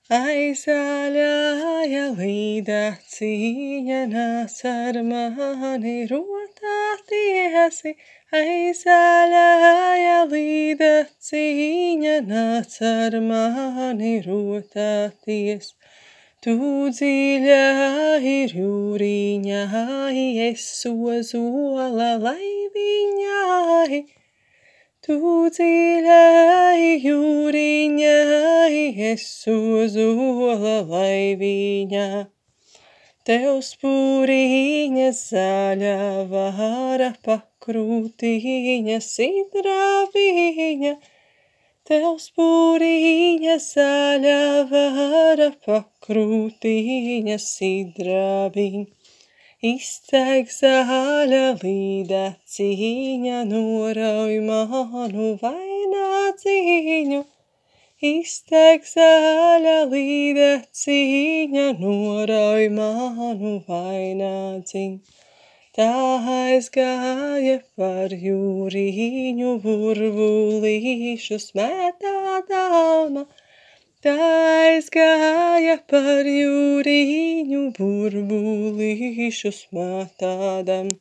Aizāļāja līda cīņa nāc ar mani rotātiesi. Aizāļāja līda cīņa nāc ar mani rotāties. Tu dziļā ir jūriņā, es ozola laiviņā. Tu dziļā jūriņā, es ozola laiviņā. Tev spūriņa zaļa vara pakrūtiņa sidrabiņa. Tev spūriņa zaļa vara pakrūtiņa sidrabiņa. Iztek zaļa līda cīņa, norauj manu vainādzīņu. Iztek zaļa līda cīņa, norauj manu vainādzīņu. Tā aizgāja par jūriņu, burbulīšu smetādama. Tā aizgāja par jūriņu, burbulīšu smetādam.